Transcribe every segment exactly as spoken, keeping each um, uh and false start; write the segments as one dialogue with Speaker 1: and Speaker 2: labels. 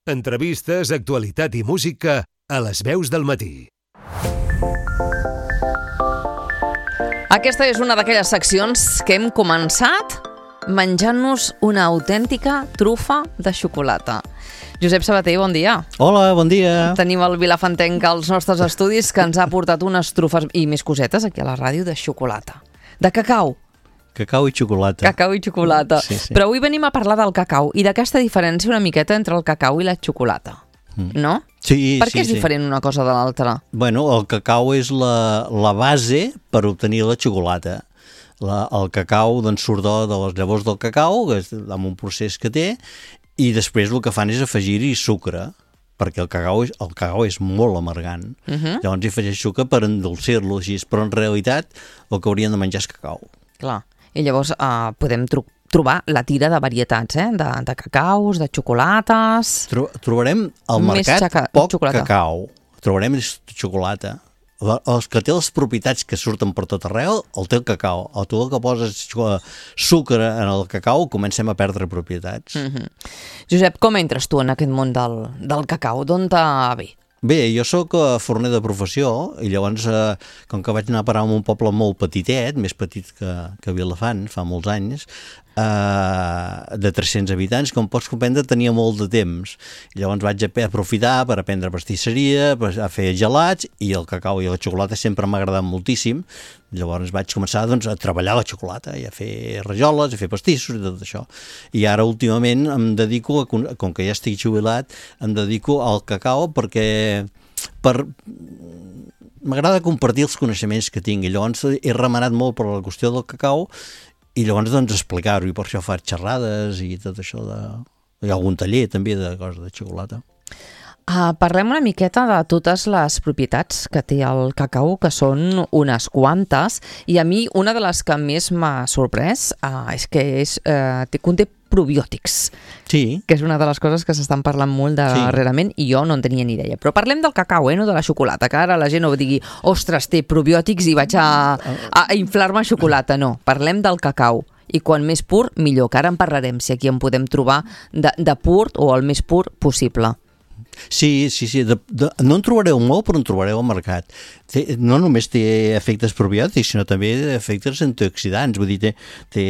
Speaker 1: Entrevistes, actualitat i música a les veus del matí.
Speaker 2: Aquesta és una d'aquelles seccions que hem començat menjant-nos una autèntica trufa de xocolata. Josep Sabater, bon dia.
Speaker 3: Hola, bon dia.
Speaker 2: Tenim el Vilafantenc als nostres estudis que ens ha portat unes trufes i més cosetes aquí a la ràdio de xocolata. De cacau.
Speaker 3: Cacau i xocolata.
Speaker 2: Cacau i xocolata.
Speaker 3: Sí, sí.
Speaker 2: Però avui venim a parlar del cacau i d'aquesta diferència una miqueta entre el cacau i la xocolata. Mm. No?
Speaker 3: Sí,
Speaker 2: per què
Speaker 3: sí,
Speaker 2: és diferent
Speaker 3: sí.
Speaker 2: una cosa de l'altra?
Speaker 3: Bueno, el cacau és la, la base per obtenir la xocolata. La, el cacau doncs, surt de, de les llavors del cacau, que és amb un procés que té, i després el que fan és afegir-hi sucre, perquè el cacau és, el cacau és molt amargant. Uh-huh. Llavors hi afegeix sucre per endolcir-lo així, però en realitat el que haurien de menjar és cacau.
Speaker 2: Clar, i llavors uh, podem tro trobar la tira de varietats, eh? de, de cacaus, de xocolates...
Speaker 3: Tro trobarem al mercat poc xocolata. Cacau, trobarem xocolata. Els que té les propietats que surten per tot arreu, el té el cacau. O tu el que poses sucre en el cacau, comencem a perdre propietats.
Speaker 2: Mm-hmm. Josep, com entres tu en aquest món del, del cacau? D'on te ve?
Speaker 3: Bé, jo sóc forner de professió i llavors, eh, com que vaig anar a parar a un poble molt petitet, més petit que, que Vilafant, fa molts anys, eh, de tres-cents habitants, com pots comprendre, tenia molt de temps. I llavors vaig aprofitar per aprendre pastisseria, a fer gelats, i el cacau i la xocolata sempre m'ha agradat moltíssim. Llavors vaig començar doncs, a treballar la xocolata, i a fer rajoles, a fer pastissos i tot això. I ara últimament em dedico, a, com que ja estic jubilat, em dedico al cacau perquè per... m'agrada compartir els coneixements que tinc, i llavors he remenat molt per la qüestió del cacau i llavors doncs explicar-ho, i per això faig xerrades i tot això de... Hi ha algun taller també de coses de xocolata.
Speaker 2: Uh, parlem una miqueta de totes les propietats que té el cacau, que són unes quantes, i a mi una de les que més m'ha sorprès uh, és que és, uh, conté probiòtics,
Speaker 3: sí.
Speaker 2: que és una de les coses que s'estan parlant molt darrerament, sí. I jo no en tenia ni idea. Però parlem del cacau, eh, no de la xocolata, que ara la gent no digui, ostres, té probiòtics i vaig a, a inflar-me xocolata. No, parlem del cacau. I quan més pur, millor, que ara en parlarem, si aquí en podem trobar de, de pur o el més pur possible.
Speaker 3: Sí, sí, sí. De, de, no en trobareu molt, però en trobareu al mercat. Té, no només té efectes probiòtics, sinó també efectes antioxidants. Vull dir, té, té,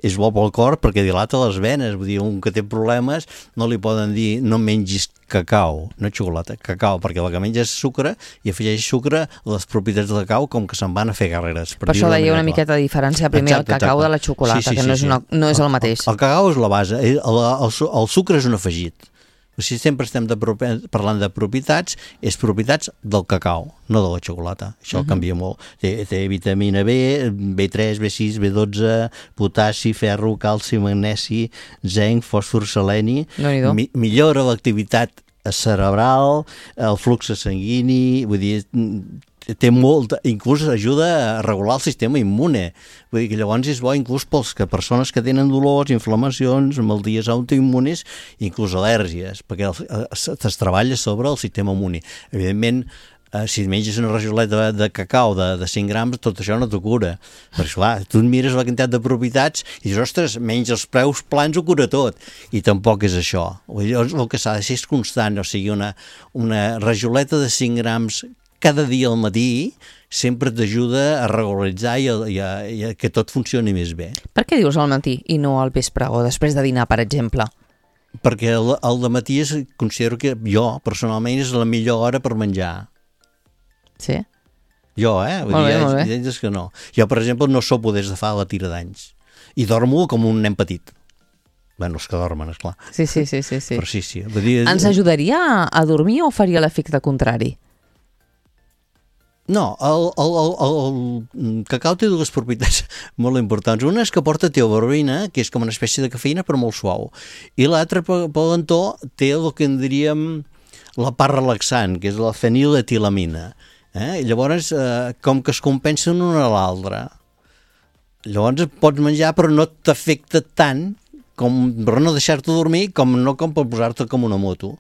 Speaker 3: és bo pel cor perquè dilata les venes. Vull dir, un que té problemes no li poden dir no mengis cacau, no xocolata, cacau, perquè el que menja és sucre i afegeix sucre a les propietats del cacau com que se'n van a fer carreres.
Speaker 2: Per, per això deia una miqueta de diferència primer exacte, el cacau exacte. De la xocolata, sí, sí, que no, sí, és una, no és el mateix.
Speaker 3: El, el cacau és la base, el, el, el sucre és un afegit. O sigui, sempre estem de, parlant de propietats, és propietats del cacau, no de la xocolata. Això uh-huh. canvia molt. Té, té vitamina B, B tres, B sis, B dotze, potassi, ferro, calci, magnesi, zinc, fòsfor, seleni.
Speaker 2: No
Speaker 3: mi, millora l'activitat cerebral, el flux sanguini, vull dir, té molt, inclús ajuda a regular el sistema immune. Vull dir que llavors és bo inclús pels que persones que tenen dolors, inflamacions, malalties autoimmunes, inclús al·lèrgies, perquè es treballa sobre el sistema immune. Evidentment, eh, si menges una rajoleta de cacau de, de cinc grams, tot això no t'ho cura. Perquè, clar, tu et mires la quantitat de propietats i dius, ostres, menys els preus plans ho cura tot. I tampoc és això. Llavors, el que s'ha de ser és constant, o sigui, una, una rajoleta de cinc grams cada dia al matí sempre t'ajuda a regularitzar i a, i, a, i a que tot funcioni més bé.
Speaker 2: Per què dius al matí i no al vespre o després de dinar, per exemple?
Speaker 3: Perquè el, el de matí és, considero que jo, personalment, és la millor hora per menjar.
Speaker 2: Sí?
Speaker 3: Jo, eh? Vull
Speaker 2: molt
Speaker 3: dir,
Speaker 2: bé, molt bé.
Speaker 3: És que no. Jo, per exemple, no sopo des de fa la tira d'anys. I dormo com un nen petit. Bueno, els que dormen, esclar.
Speaker 2: Sí, sí, sí. sí, sí.
Speaker 3: Però sí, sí. Vull dir,
Speaker 2: ens ajudaria a dormir o faria l'efecte contrari?
Speaker 3: No, el, el, el, el cacau té dues propietats molt importants. Una és que porta teobromina, que és com una espècie de cafeïna però molt suau. I l'altra, per l'entó, té el que en diríem la part relaxant, que és la feniletilamina. Eh? I llavors, eh, com que es compensen una a l'altra. Llavors pots menjar però no t'afecta tant com per no deixar-te dormir com no com per posar-te com una moto.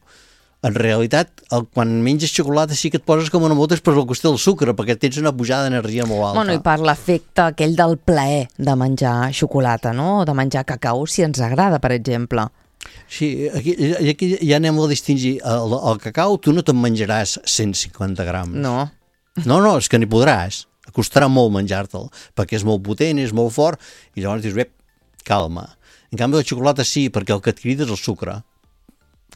Speaker 3: En realitat, el, quan menges xocolata sí que et poses com una moto és per la qüestió del sucre, perquè tens una pujada d'energia molt alta.
Speaker 2: Bueno, i per l'efecte aquell del plaer de menjar xocolata, no? De menjar cacau, si ens agrada, per exemple.
Speaker 3: Sí, aquí, aquí ja anem a distingir. El, el cacau tu no te'n menjaràs cent cinquanta grams.
Speaker 2: No.
Speaker 3: No, no, és que n'hi podràs. Costarà molt menjar-te'l, perquè és molt potent, és molt fort, i llavors dius, bé, calma. En canvi, la xocolata sí, perquè el que et crida és el sucre.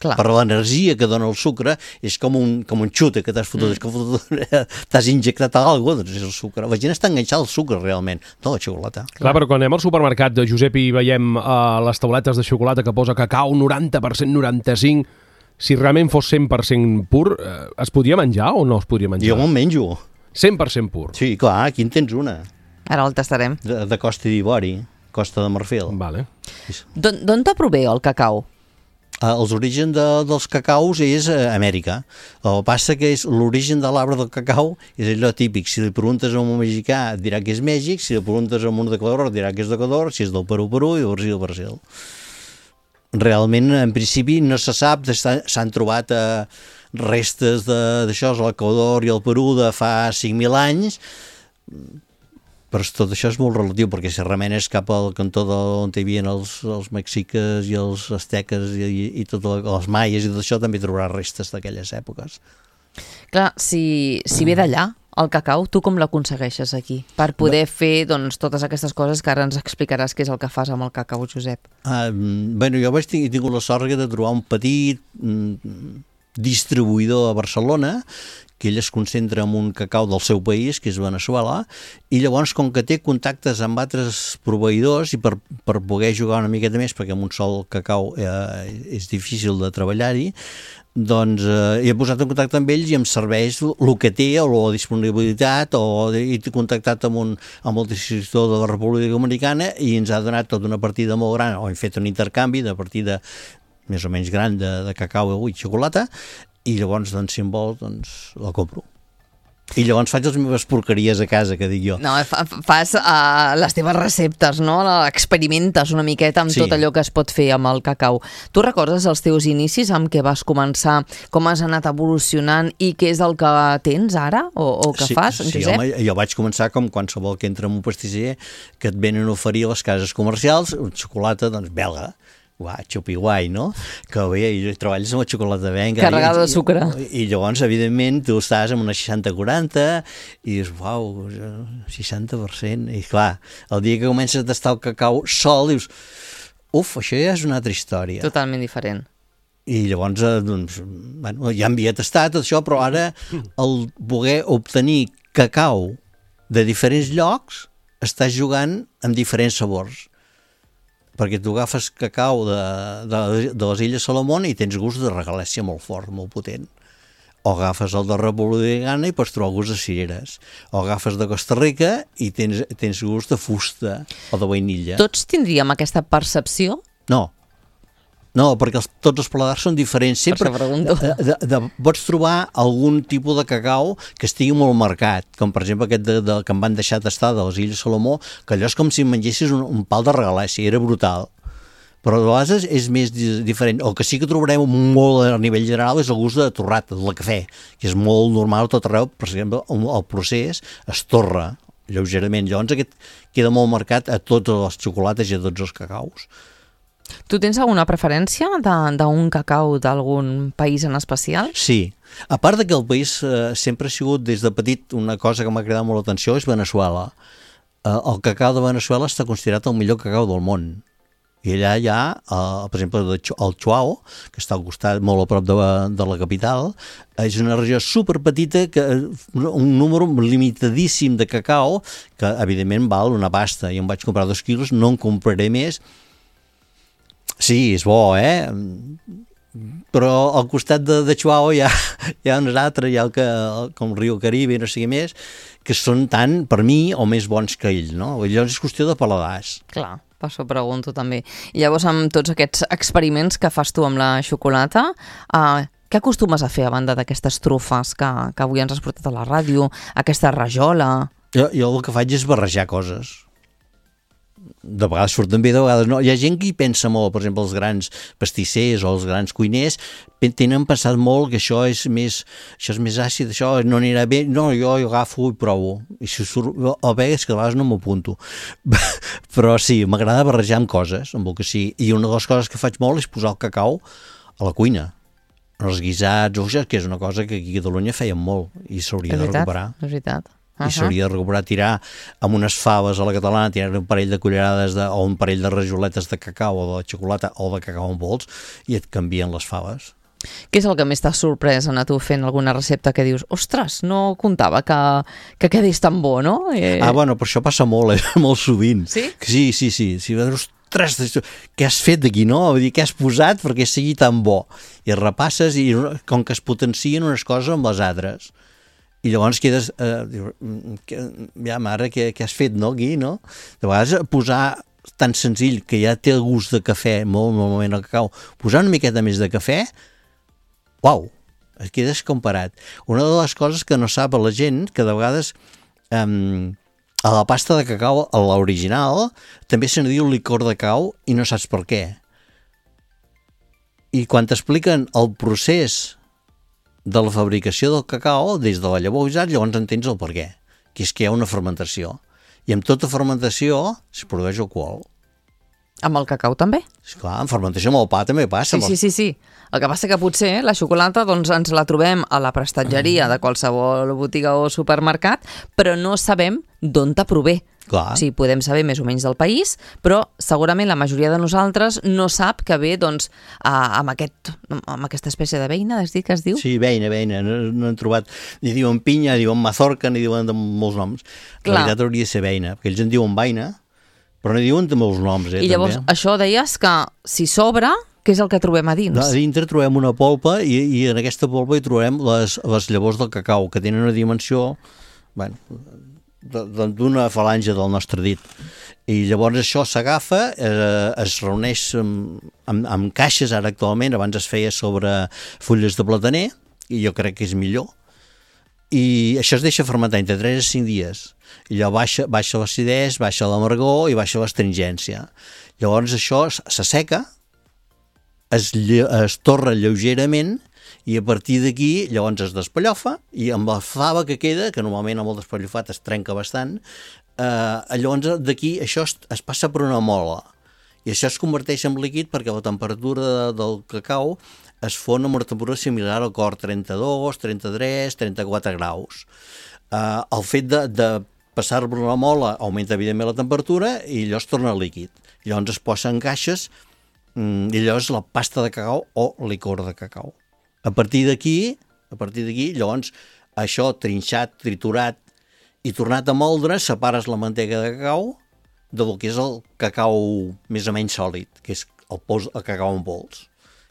Speaker 2: Clar.
Speaker 3: Per l'energia que dona el sucre, és com un, com un xute que t'has fotut, mm. t'has injectat alguna cosa, doncs és el sucre. La gent està enganxada al sucre, realment, no la xocolata.
Speaker 4: Clar, Clar però quan anem al supermercat de Josep i veiem uh, les tauletes de xocolata que posa cacau noranta per cent, noranta-cinc per cent, si realment fos cent per cent pur, uh, es podria menjar o no es podria menjar?
Speaker 3: Jo me'n menjo.
Speaker 4: cent per cent pur?
Speaker 3: Sí, clar, aquí en tens una.
Speaker 2: Ara el tastarem.
Speaker 3: De, de Costa d'Ivori, Costa de Marfil.
Speaker 4: Vale.
Speaker 2: D'on te prové el cacau?
Speaker 3: Uh, els orígens de, dels cacaus és uh, Amèrica. El que passa que és l'origen de l'arbre del cacau és allò típic. Si li preguntes a un mexicà et dirà que és Mèxic, si li preguntes a un d'Equador et dirà que és d'Equador, si és del Perú, Perú i del Brasil, Brasil. Realment, en principi, no se sap, s'han trobat uh, restes d'això, l'Equador i el Perú de fa cinc mil anys, però tot això és molt relatiu, perquè si remenes cap al cantó on hi havia els, els mexiques i els asteques i, i, i tot el, els maies i tot això, també trobaràs restes d'aquelles èpoques.
Speaker 2: Clar, si, si ve d'allà, el cacau, tu com l'aconsegueixes aquí? Per poder Bé. fer doncs, totes aquestes coses que ara ens explicaràs què és el que fas amb el cacau, Josep.
Speaker 3: Ah, bueno, jo vaig tenir, he tingut la sort de trobar un petit mm, distribuïdor a Barcelona que ell es concentra en un cacau del seu país, que és Veneçuela, i llavors, com que té contactes amb altres proveïdors, i per, per poder jugar una miqueta més, perquè amb un sol cacau eh, és difícil de treballar-hi, doncs eh, he posat en contacte amb ells i em serveix el que té, o la disponibilitat, o he contactat amb, un, amb el distribuïdor de la República Dominicana i ens ha donat tota una partida molt gran, o hem fet un intercanvi de partida més o menys gran de, de cacau i xocolata, i llavors, doncs, si em vol, doncs, la compro. I llavors faig les meves porqueries a casa, que dic jo.
Speaker 2: No, fa, fas uh, les teves receptes, no? Experimentes una miqueta amb sí. tot allò que es pot fer amb el cacau. Tu recordes els teus inicis, amb què vas començar, com has anat evolucionant i què és el que tens ara o, o que
Speaker 3: sí,
Speaker 2: fas,
Speaker 3: sí,
Speaker 2: Josep?
Speaker 3: Home, jo vaig començar com qualsevol que entra en un pastisser que et venen a oferir a les cases comercials, un xocolata, doncs, belga. Uah, xupi guai, no? Que bé, i treballes amb la xocolata venga.
Speaker 2: Carregada de sucre.
Speaker 3: I, i llavors, evidentment, tu estàs amb una seixanta quaranta i dius, uau, seixanta per cent. I clar, el dia que comences a tastar el cacau sol, dius, uf, això ja és una altra història.
Speaker 2: Totalment diferent.
Speaker 3: I llavors, doncs, bueno, ja havia tastat tot això, però ara el poder obtenir cacau de diferents llocs, estàs jugant amb diferents sabors. Perquè tu agafes cacau de, de, de les Illes Salomón i tens gust de regalèssia molt fort, molt potent. O agafes el de República Dominicana i pots trobar gust de cireres. O agafes de Costa Rica i tens, tens gust de fusta o de vainilla.
Speaker 2: Tots tindríem aquesta percepció?
Speaker 3: No. No, perquè els, tots els paladars són diferents. Sempre
Speaker 2: de,
Speaker 3: de, de, pots trobar algun tipus de cacau que estigui molt marcat, com per exemple aquest de, de, que em van deixar tastar de les Illes Salomó, que allò és com si mengessis un, un pal de regalèssia, era brutal. Però de vegades és més diferent. El que sí que trobarem molt a nivell general és el gust de torrat, del cafè, que és molt normal a tot arreu. Per exemple, el procés es torra lleugerament. Llavors aquest queda molt marcat a totes les xocolates i a tots els cacaus.
Speaker 2: Tu tens alguna preferència d'un cacau d'algun país en especial?
Speaker 3: Sí. A part de que el país eh, sempre ha sigut des de petit una cosa que m'ha cridat molt l'atenció és Veneçuela. Eh, el cacau de Veneçuela està considerat el millor cacau del món. I allà hi ha, eh, per exemple, el Chuao, que està al costat, molt a prop de, de la capital. És una regió superpetita, que, un número limitadíssim de cacau, que evidentment val una pasta. Jo em vaig comprar dos quilos, no en compraré més. Sí, és bo, eh? Però al costat de, de Chuao hi ha, hi ha uns altres, hi ha el que, com el riu Caribe i no sé què més, que són tan, per mi, o més bons que ell, no? Llavors és qüestió de paladars.
Speaker 2: Clar, per això pregunto també. I llavors, amb tots aquests experiments que fas tu amb la xocolata, eh, què acostumes a fer a banda d'aquestes trufes que, que avui ens has portat a la ràdio, aquesta rajola?
Speaker 3: Jo, jo el que faig és barrejar coses. de vegades surten bé, de vegades no. Hi ha gent que hi pensa molt, per exemple, els grans pastissers o els grans cuiners tenen pensat molt que això és més, això és més àcid, això no anirà bé, no, jo, jo agafo i provo. I si surt, a vegades que a vegades no m'apunto. Però sí, m'agrada barrejar amb coses, amb el que sí. I una de les coses que faig molt és posar el cacau a la cuina. Els guisats, o això, que és una cosa que aquí a Catalunya feien molt i s'hauria de recuperar.
Speaker 2: És veritat,
Speaker 3: Uh -huh. I s'hauria de recuperar, tirar amb unes faves a la catalana, tirar un parell de cullerades de, o un parell de rajoletes de cacau o de xocolata o de cacau en pols i et canvien les faves.
Speaker 2: Què és el que més t'ha sorprès en a tu fent alguna recepta que dius, ostres, no comptava que, que quedés tan bo, no? Eh...
Speaker 3: Ah, bueno, però això passa molt, eh? molt sovint.
Speaker 2: Sí?
Speaker 3: Sí, sí, sí. Si veus, ostres, què has fet d'aquí, no? Vull dir, què has posat perquè sigui tan bo? I repasses i com que es potencien unes coses amb les altres. I llavors quedes, eh, ja mare, què, què has fet, no, aquí, no? De vegades posar tan senzill que ja té el gust de cafè, molt normalment el cacau, posar una miqueta més de cafè, uau, es quedes comparat. Una de les coses que no sap la gent, que de vegades eh, a la pasta de cacau, a l'original, també se n'hi diu licor de cacau i no saps per què. I quan t'expliquen el procés de la fabricació del cacau, des de la llavor guisat, llavors entens el per què, que és que hi ha una fermentació. I amb tota fermentació es produeix alcohol.
Speaker 2: Amb el cacau també?
Speaker 3: Esclar, en fermentació amb el pa també passa.
Speaker 2: Sí, sí, sí, sí. El que passa que potser la xocolata doncs, ens la trobem a la prestatgeria de qualsevol botiga o supermercat, però no sabem d'on te prové.
Speaker 3: Clar.
Speaker 2: O sigui, podem saber més o menys del país, però segurament la majoria de nosaltres no sap que ve doncs, amb, aquest, amb aquesta espècie de beina, has dit que es diu?
Speaker 3: Sí, beina, beina. No, no han trobat... Ni diuen pinya, ni diuen mazorca, ni diuen de molts noms. En realitat hauria de ser beina, perquè ells en diuen beina, però no diuen de molts noms. Eh,
Speaker 2: I llavors,
Speaker 3: també.
Speaker 2: Això deies que si sobra, què és el que trobem a dins?
Speaker 3: No, a dintre trobem una polpa i, i en aquesta polpa hi trobem les, les llavors del cacau, que tenen una dimensió... Bueno, d'una falange del nostre dit. I llavors això s'agafa, eh, es reuneix amb, amb, amb caixes, ara actualment, abans es feia sobre fulles de plataner, i jo crec que és millor, i això es deixa fermentar entre tres a cinc dies, i llavors baixa, baixa l'acidès, baixa l'amargor i baixa l'astringència. Llavors això s'asseca, es, es torra lleugerament, i a partir d'aquí llavors es despallofa i amb la fava que queda, que normalment amb el despallofat es trenca bastant, eh, llavors d'aquí això es, es passa per una mola i això es converteix en líquid perquè la temperatura de, del cacau es fon amb una temperatura similar al cor, trenta-dos, trenta-tres, trenta-quatre graus. Eh, el fet de, de passar per una mola augmenta evidentment la temperatura i allò es torna líquid. Llavors es posa en caixes mm, i allò és la pasta de cacau o licor de cacau. A partir d'aquí, a partir d'aquí, llavors, això trinxat, triturat i tornat a moldre, separes la mantega de cacau del que és el cacau més o menys sòlid, que és el, pols, el cacau en pols.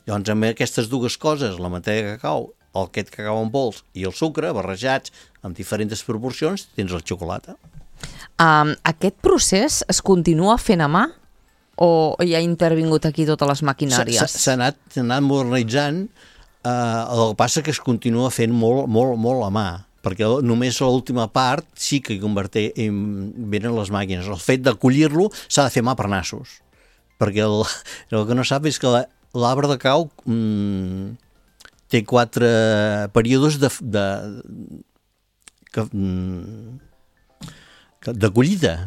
Speaker 3: Llavors, amb aquestes dues coses, la mantega de cacau, el aquest cacau en pols i el sucre, barrejats amb diferents proporcions, tens la xocolata.
Speaker 2: Um, aquest procés es continua fent a mà o hi ha intervingut aquí totes les maquinàries?
Speaker 3: S'ha anat, anat modernitzant. Uh, el que passa que es continua fent molt, molt, molt a mà, perquè només l'última part sí que converteix, venen les màquines. El fet de collir-lo s'ha de fer mà per nassos, perquè el, el que no sap és que l'arbre de cacau mm, té quatre períodes de, de, de, de collita.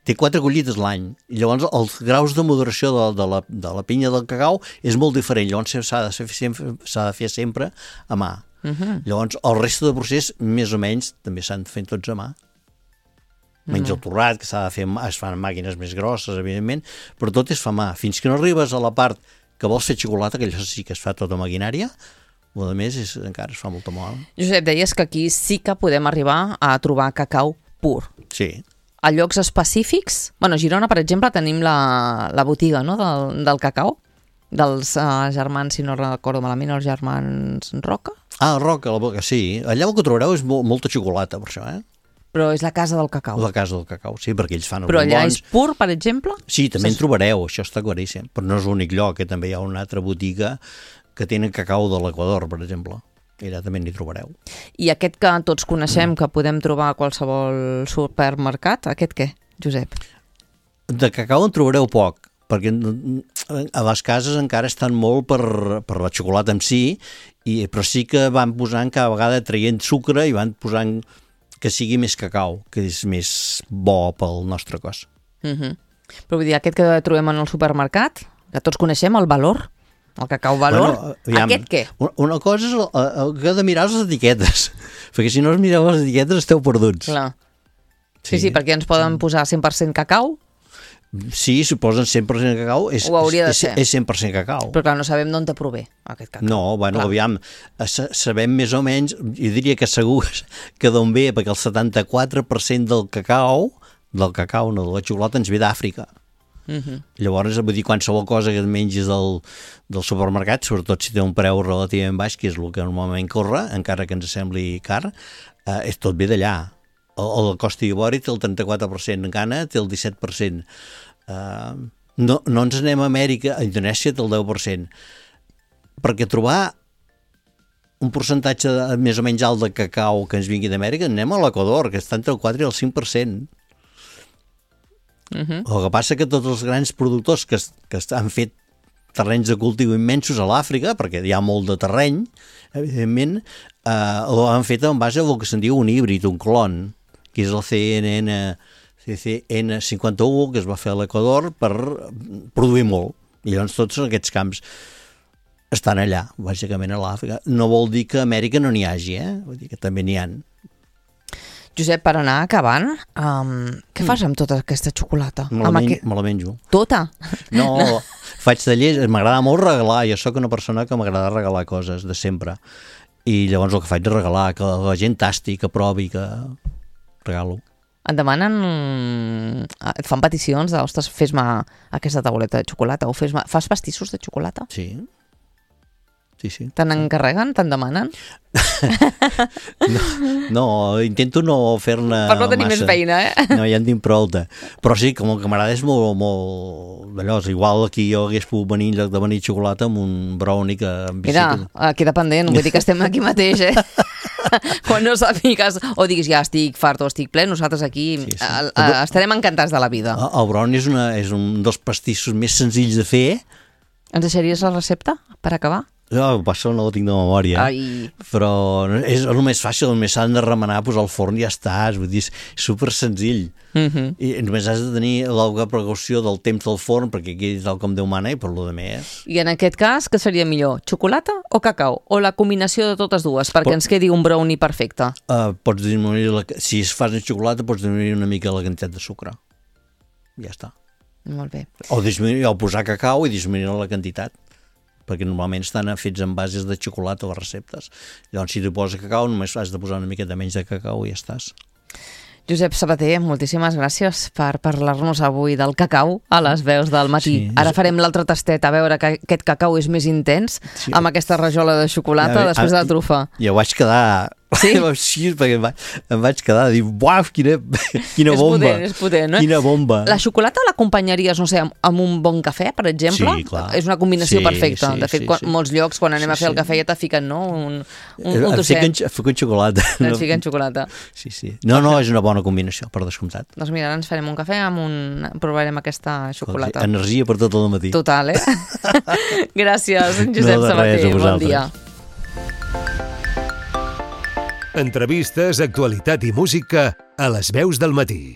Speaker 3: Té quatre collites l'any, i llavors els graus de maduració de, de, la, de la pinya del cacau és molt diferent, llavors s'ha de fer sempre, s'ha de fer sempre a mà. Uh-huh. Llavors el reste del procés, més o menys, també s'han de fer tots a mà. Menys uh-huh. el torrat, que s'ha de fer, es fan màquines més grosses, evidentment, però tot es fa a mà. Fins que no arribes a la part que vols fer xocolata, que allò sí que es fa tota maquinària, o a més és, encara es fa molta mà.
Speaker 2: Josep, deies que aquí sí que podem arribar a trobar cacau pur.
Speaker 3: Sí.
Speaker 2: A llocs específics? Bueno, a Girona, per exemple, tenim la, la botiga, no?, del, del cacau, dels uh, germans, si no recordo malament, els germans Roca?
Speaker 3: Ah, Roca, la boca, sí. Allà el que trobareu és mo molta xocolata, per això, eh?
Speaker 2: Però és la casa del cacau.
Speaker 3: La casa del cacau, sí, perquè ells fan els
Speaker 2: Però allà
Speaker 3: bombons.
Speaker 2: és pur, per exemple?
Speaker 3: Sí, també en trobareu, això està claríssim. Però no és l'únic lloc, que també hi ha una altra botiga que tenen cacau de l'Equador, per exemple. I allà també n'hi trobareu.
Speaker 2: I aquest que tots coneixem, mm. que podem trobar a qualsevol supermercat, aquest què, Josep?
Speaker 3: De cacau en trobareu poc, perquè a les cases encara estan molt per, per la xocolata en si, i, però sí que van posant cada vegada traient sucre i van posant que sigui més cacau, que és més bo pel nostre cos.
Speaker 2: Uh-huh. Però vull dir, aquest que trobem en el supermercat, que tots coneixem, el Valor, el cacau Valor, bueno, aviam, aquest què?
Speaker 3: Una cosa és el, el que heu de mirar les etiquetes, perquè si no us mireu les etiquetes esteu perduts.
Speaker 2: Clar. Sí, sí, sí, perquè ens poden posar cent per cent cacau.
Speaker 3: Sí, si posen cent per cent cacau, és,
Speaker 2: ho hauria de
Speaker 3: és,
Speaker 2: ser.
Speaker 3: és cent per cent cacau.
Speaker 2: Però clar, no sabem d'on te prové aquest cacau.
Speaker 3: No, bueno, clar. Aviam, sabem més o menys, jo diria que segur que d'on ve, perquè el setanta-quatre per cent del cacau, del cacau, no de la xocolata, ens ve d'Àfrica. Uh-huh. Llavors, vull dir, qualsevol cosa que et mengis del, del supermercat, sobretot si té un preu relativament baix, que és el que normalment corre, encara que ens sembli car, eh, és tot ve d'allà. El, el Costa d'Ivori té el trenta-quatre per cent, Ghana té el disset per cent. Uh, no, no ens anem a Amèrica, a Indonèsia té el deu per cent. Perquè trobar un percentatge de, més o menys alt de cacau que ens vingui d'Amèrica, anem a l'Equador, que està entre el quatre i el cinc per cent. Uh-huh. El que passa que tots els grans productors que, que han fet terrenys de cultiu immensos a l'Àfrica, perquè hi ha molt de terreny, evidentment, eh, ho han fet en base a el que se'n diu un híbrid, un clon, que és el C N N, C C N cinquanta-u, que es va fer a l'Equador per produir molt. I llavors tots aquests camps estan allà, bàsicament a l'Àfrica. No vol dir que a Amèrica no n'hi hagi, eh? Vull dir que també n'hi ha.
Speaker 2: Josep, per anar acabant, um, què fas amb tota aquesta xocolata?
Speaker 3: Me la, men
Speaker 2: aqu...
Speaker 3: me la menjo.
Speaker 2: Tota?
Speaker 3: No, no. Faig tallers, m'agrada molt regalar, jo sóc una persona que m'agrada regalar coses de sempre. I llavors el que faig és regalar, que la gent tasti, que provi, que regalo.
Speaker 2: Et demanen, et fan peticions de, ostres, fes-me aquesta tauleta de xocolata, o fes-me... Fas pastissos de xocolata?
Speaker 3: Sí. Sí, sí.
Speaker 2: Te'n encarreguen? Te'n demanen?
Speaker 3: no, no, intento no fer-ne massa.
Speaker 2: Per no tenir més feina, eh?
Speaker 3: No, ja en tinc prou. Però sí, com que m'agrada és molt, molt d'allò. Igual aquí jo hagués pogut venir en lloc de venir xocolata amb un brownie que...
Speaker 2: Mira, queda pendent, vull dir que estem aquí mateix, eh? Quan no sàpigues o diguis ja estic fart o estic ple, nosaltres aquí sí, sí. A, a, estarem encantats de la vida.
Speaker 3: El brownie és, una, és un dels pastissos més senzills de fer.
Speaker 2: Ens deixaries la recepta per acabar?
Speaker 3: No, això no ho tinc de memòria.
Speaker 2: Ai.
Speaker 3: Però és el més fàcil, només s'han de remenar, posar al forn i ja estàs, vull dir, és super senzill. Uh-huh. I només has de tenir la precaució del temps del forn, perquè aquí és el com Déu mana i per lo de més.
Speaker 2: I en aquest cas, què seria millor? Xocolata o cacau? O la combinació de totes dues, perquè Pot... ens quedi un brownie perfecte?
Speaker 3: Uh, pots disminuir, la... si es fas en xocolata, pots disminuir una mica la quantitat de sucre. Ja està.
Speaker 2: Molt bé.
Speaker 3: O, disminuir, o posar cacau i disminuir la quantitat, perquè normalment estan fets en bases de xocolata les receptes. Llavors, si tu poses cacau, només has de posar una miqueta menys de cacau i ja estàs.
Speaker 2: Josep Sabater, moltíssimes gràcies per parlar-nos avui del cacau a les veus del matí. Sí, Ara farem l'altre tastet a veure que aquest cacau és més intens, sí, amb aquesta rajola de xocolata ja, després de la trufa.
Speaker 3: Ja ho vaig quedar... Sí? Sí, perquè em vaig, em vaig quedar a dir, uaf, quina, quina bomba.
Speaker 2: És potent, és potent, no?
Speaker 3: Quina bomba.
Speaker 2: La xocolata l'acompanyaries, no sé, amb, amb un bon cafè, per exemple?
Speaker 3: Sí, clar.
Speaker 2: És una combinació
Speaker 3: sí,
Speaker 2: perfecta.
Speaker 3: Sí,
Speaker 2: de fet,
Speaker 3: sí,
Speaker 2: quan,
Speaker 3: sí.
Speaker 2: molts llocs, quan anem
Speaker 3: sí,
Speaker 2: a fer el cafè, ja te fiquen, no? Un, un, un tosset.
Speaker 3: Et fiquen xocolata.
Speaker 2: Et fiquen xocolata.
Speaker 3: Sí, sí. No, no, és una bona combinació, per descomptat.
Speaker 2: Doncs mira, ara ens farem un cafè, amb un... provarem aquesta xocolata.
Speaker 3: Energia per tot el matí.
Speaker 2: Total, eh? Gràcies, Josep
Speaker 3: no,
Speaker 2: Sabater.
Speaker 3: Res,
Speaker 2: bon dia.
Speaker 1: Entrevistes, actualitat i música a les veus del matí.